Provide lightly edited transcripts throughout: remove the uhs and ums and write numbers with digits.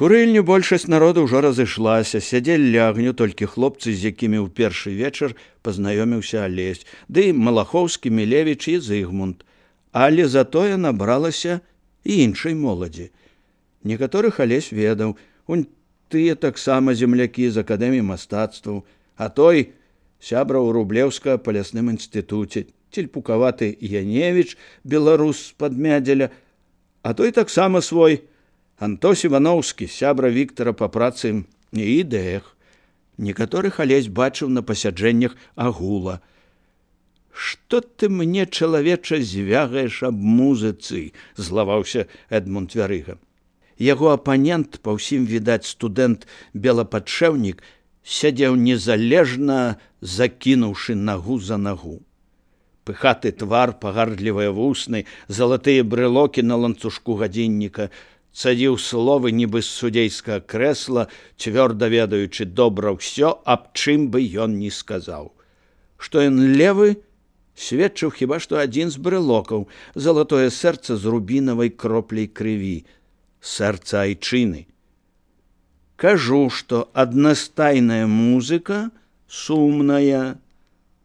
Курыльню большасць народу ўжо разышлася, сядзелі ля агню толькі хлопцы, з якімі ў першы вечар пазнаёміўся Алесь, ды Малахоўскі, Мілевіч і Зыгмунд. Але затое набралася і іншай моладзі. Некаторых Алесь ведаў, унь тыя таксама землякі з акадэміі мастацтваў, а той сябра ў Рублеўска па лясным інстытуце, цельпукаваты Яневіч, беларус з-пад Мядзеля, а той таксама свой, Антос Івановскі, сябра Віктара па працы і ідэях. Некаторых Алесь бачыў на пасяджэннях агула. «Што ты мне, чалавеча, звягаеш аб музыцы?» – злаваўся Эдмунд Вярыга. Яго апанент, па ўсім відаць студэнт-белападшэўнік, сядзеў незалежна, закінуўшы нагу за нагу. Пыхаты твар, пагардлівыя вусны, залатыя брэлокі на ланцужку гадзінніка, цадзіў словы нібы з судзейскага крэсла, цвёрда ведаючы добра ўсё, аб чым бы ён ні сказаў. Што ён левы, сведчыў хіба што адзін з брэлокаў, залатое сэрца з рубінавай кропляй крыві, сэрца айчыны. «Кажу, што аднастайная музыка сумная,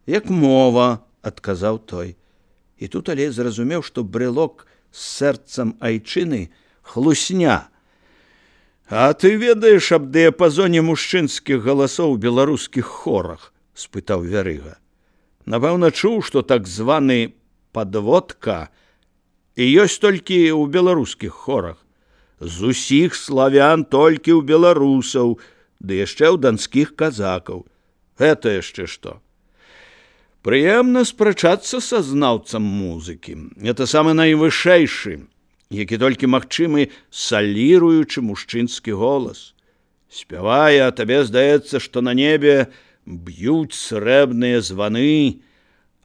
як мова», – адказаў той. І тут Алесь зразумеў, што брэлок з сэрцам айчыны – хлусня. «А ты ведаеш аб дыяпазоне мужчынскіх галасоў у беларускіх хорах?» – спытаў Вярыга. «Напэўна, чуў, што так званы падводка і ёсць толькі ў беларускіх хорах. З усіх славян толькі ў беларусаў, ды яшчэ ў данскіх казакаў. Гэта яшчэ што?» «Прыемна спрачацца са знаўцам музыкі. Это самы найвышэйшы, які толькі магчымы саліруючы мужчынскі голас. Спявае, а табе здаецца, што на небе б'юць срэбныя званы,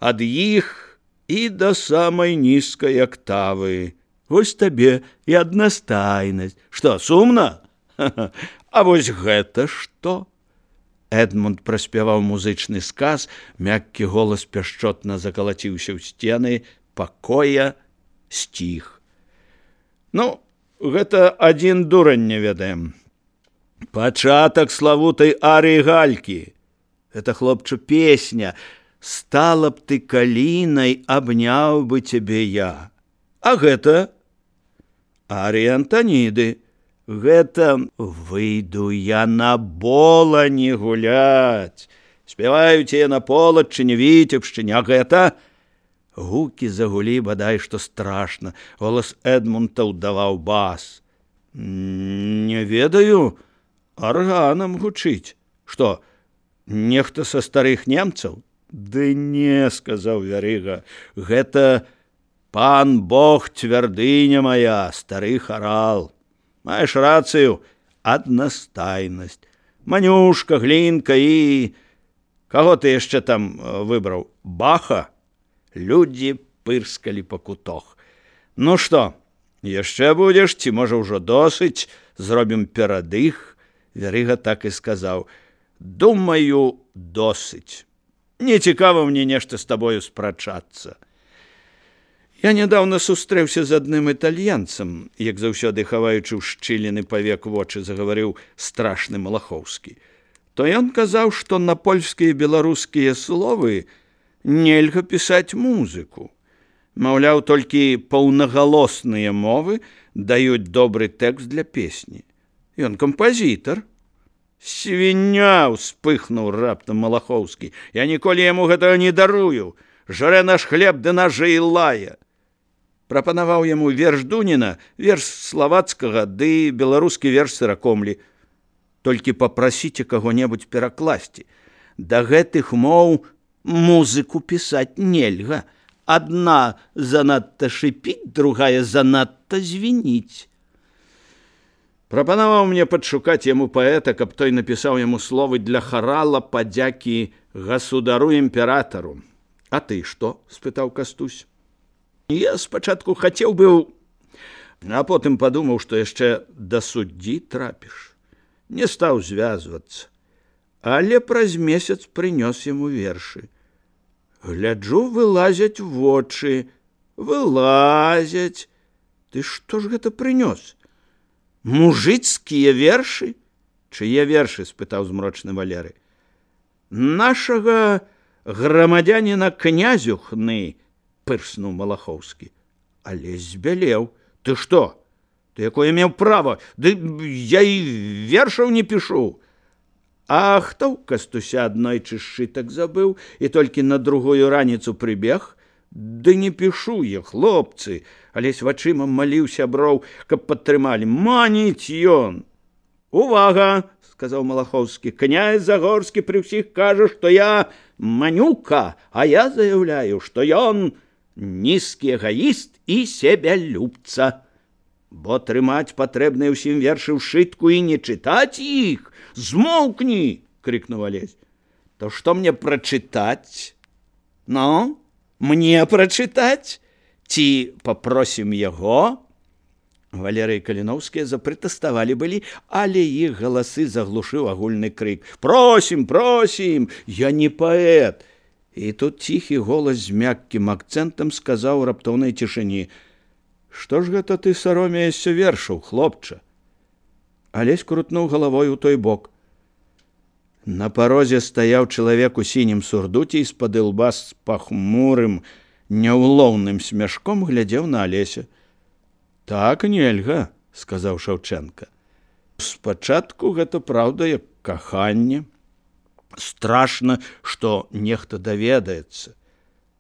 ад іх і да самай нізкай актавы. Вось табе і аднастайнасць. Што, сумна? А вось гэта што?» Эдмунд праспяваў музычны сказ, мяккі голас пяшчотна закалаціўся ў сцены пакоя, сціх. «Ну, гэта адзін дурань не ведаем. Пачатак славутай арыі Галькі. Это, хлопча, песня. Стала б ты калінай, абняў бы цябе я. А гэта арыя Антаніды. Гэта выйду я на болані гуляць. Спяваюць яе на Полаччыне, Віцебшчыне, а гэта...» Гукі загулі бадай што страшна. Голас Эдмунда ўдаваў бас. «Не ведаю, арганам гучыць. Што, нехта са старых немцаў?» «Ды не», – сказаў Вярыга, – «гэта пан Бог цвярдыня мая, стары харал. Маеш рацыю, аднастайнасць. Манюшка, Глінка і... Каго ты яшчэ там выбраў? Баха?» Людзі пырскалі па кутох. «Ну што, яшчэ будзеш, ці, можа, ўжо досыць? Зробім перадых?» Вярыга так і сказаў. «Думаю, досыць. Не цікава мне нешта з табою спрачацца. Я нядаўна сустрэўся з адным італьянцам», як заўсёды хаваючы ў шчыліны павек вочы, загаварыў страшны Малахоўскі. «То ён казаў, што на польскія і беларускія словы нельга пісаць музыку. Маўляў, толькі паўнагалосныя мовы даюць добры тэкст для песні. Ён кампазітар». «Свіння!» – успыхнуў раптам Малахоўскі. «Я ніколі яму гэтага не дарую. Жрэ наш хлеб ды нажы і лае». Прапанаваў яму верш Дуніна, верш славацкага ды беларускі верш Сыракомлі. «Толькі папрасіце каго-небудзь перакласці. Да гэтых моў музыку пісаць нельга. Адна занадта шыпіць, другая занадта звініць». Прапанаваў мне падшукаць яму паэта, каб той напісаў яму словы для харала падзякі гасудару-імператару. «А ты што?» – спытаў Кастусь. «Я спачатку хацеў быў, а потым падумаў, што яшчэ да суддзі трапіш. Не стаў звязвацца. Але праз месяц прынёс яму вершы. Гляджу, вылазяць вочы. Вылазяць. Ты што ж гэта прынёс? Мужыцкія вершы? Чые вершы? Спытаў змрочны Валерый. Нашага грамадзяніна князю Хны, пырснуў Малахоўскі. Алесь збялеў. Ты што? Ты якое меў права? Ды я і вершаў не пішу. А хто ў Кастуся аднойчы сшытак забыў і толькі на другую раніцу прыбег? Ды не пішу я, хлопцы. Алесь вачыма маліў сяброў, каб падтрымалі. Маніць ён. Увага, сказаў Малахоўскі. Князь Загорскі пры ўсіх кажа, што я манюка, а я заяўляю, што ён нізкі эгаіст і себялюбца. Бо трымаць патрэбныя ўсім вершы ў шытку і не чытаць іх. Змоўкні, крыкнуў Алесь. То што мне прачытаць? Ну, мне прачытаць? Ці папросім яго? Валерый і Каліноўскія запратэставалі былі, але іх галасы заглушыў агульны крык. Просім, просім, я не паэт. І тут ціхі голас з мяккім акцэнтам сказаў у раптоўнай цішыні. Што ж гэта ты саромеешся вершаў, хлопча? Алесь крутнуў галавой у той бок. На парозе стаяў чалавек у сінім сурдуце і з-пад ілба з пахмурым, няўлоўным смяшком глядзеў на Алеся. Так нельга, сказаў Шаўчэнка. Спачатку гэта праўда як каханне. Страшна, што нехта даведаецца.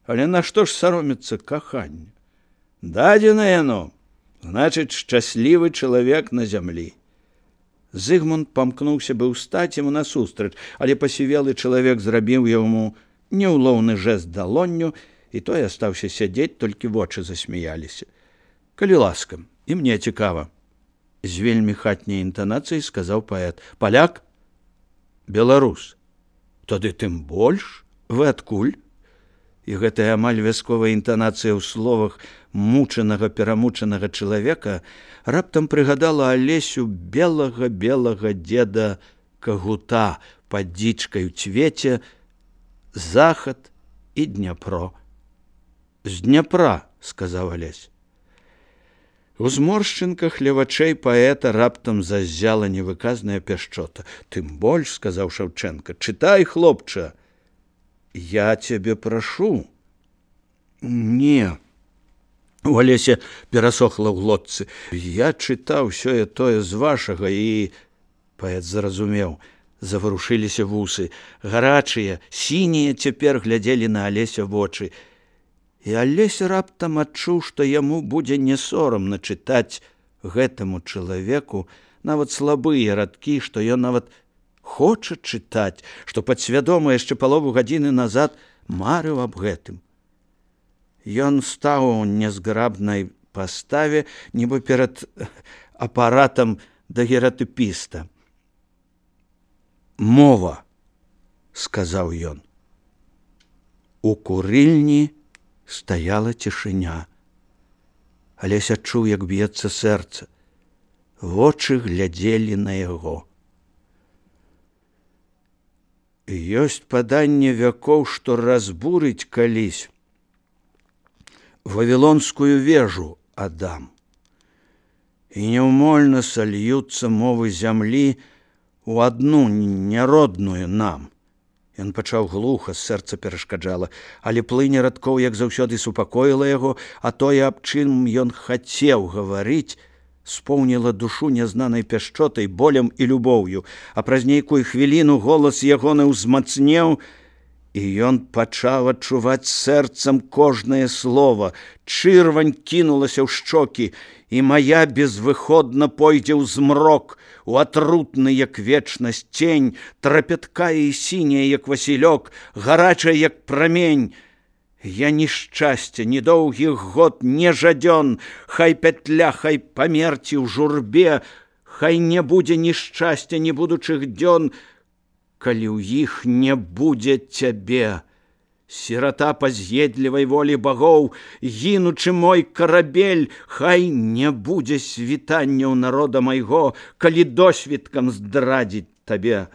Але нашто ж саромецца каханне? Дадзена яно, значыць, шчаслівы чалавек на зямлі. Зыгмунд памкнуўся быў стаць яму насустрач, але пасівелы чалавек зрабіў яму няўлоўны жэст далонню, і той астаўся сядзець, толькі вочы засмяяліся. Калі ласка, і мне цікава. З вельмі хатняй інтанацыяй сказаў паэт. Паляк? Беларус. Тады тым больш? Вы адкуль? І гэтая амаль вясковая інтанацыя ў словах мучанага, перамучанага чалавека раптам прыгадала Алесю белага дзеда Кагута пад дзічкай у цвеце, захад і Дняпро. З Дняпра, сказаў Алесь. У зморшчынках ля вачэй паэта раптам заззяла невыказная пяшчота. Тым больш, сказаў Шаўчэнка, чытай, хлопча. Я цябе прашу. Не. У Алеся перасохла ў глотцы. Я чытаў сёе-тое з вашага і... Паэт зразумеў. Заварушыліся вусы. Гарачыя, сінія цяпер глядзелі на Алеся вочы. І Алесь раптам адчуў, што яму будзе не сорамна чытаць гэтаму чалавеку нават слабыя радкі, што ён нават хоча чытаць, што падсвядома яшчэ палову гадзіны назад марыў аб гэтым. Ён стаў у нязграбнай паставе, нібы перад апаратам дагератыпіста. Мова, сказаў ён. У курыльні стаяла цішыня. Алесь адчуў, як б'ецца сэрца. Вочы глядзелі на яго. Ёсць паданне вякоў, што разбурыць калісь Вавілонскую вежу Адам. І няўмольна сольюцца мовы зямлі у адну няродную нам. Ён пачаў глуха, сэрца перашкаджала, але плыня радкоў, як заўсёды, супакоіла яго, а тое, аб чым ён хацеў гаварыць, споўніла душу нязнанай пяшчотай, болем і любоўю, а праз нейкую хвіліну голас ягоны ўзмацнеў, і ён пачаў адчуваць сэрцам кожнае слова. Чырвань кінулася ў шчокі, і мая безвыходна пойдзе ў змрок, у атрутны, як вечнасць, цень, трапяткая і сіняя, як васілёк, гарачая, як прамень. Я ні шчасця, ні доўгіх год, не жадзён, хай пятля, хай памерці ў журбе, хай не будзе ні шчасця, ні будучых дзён, калі ў іх не будзе цябе. Сірата па з'едлівай волі багоў, гінучы мой карабель, хай не будзе світанняў народа майго, калі досвіткам здрадзіць табе.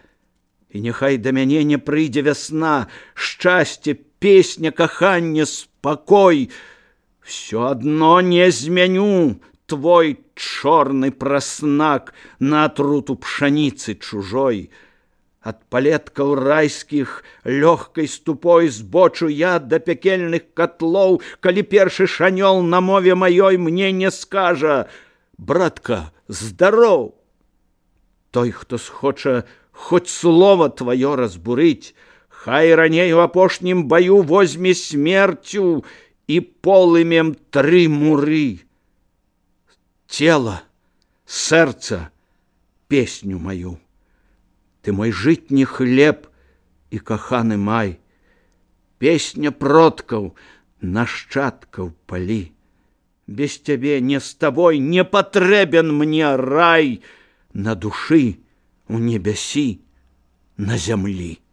І няхай да мяне не прыйдзе вясна, шчасце, песня, каханне, спакой. Всё адно не змяню твой чорны праснак на атруту пшаніцы чужой. Ад палеткаў райскіх лёгкай ступой збочу я да пякельных котлоў, калі першы шанёл на мове маёй мне не скажа: братка, здароў! Той, хто схоча хоць слова тваё разбурыць, хай раней у апошнім баю возьме смерцю і полымем 3 муры. Тело, сэрца, песню маю. Ты мой жытні хлеб і каханы май. Песня продкаў, нашчадкаў палі. Без цябе, не з табой, не патрэбен мне рай на душы, у небясі, на зямлі.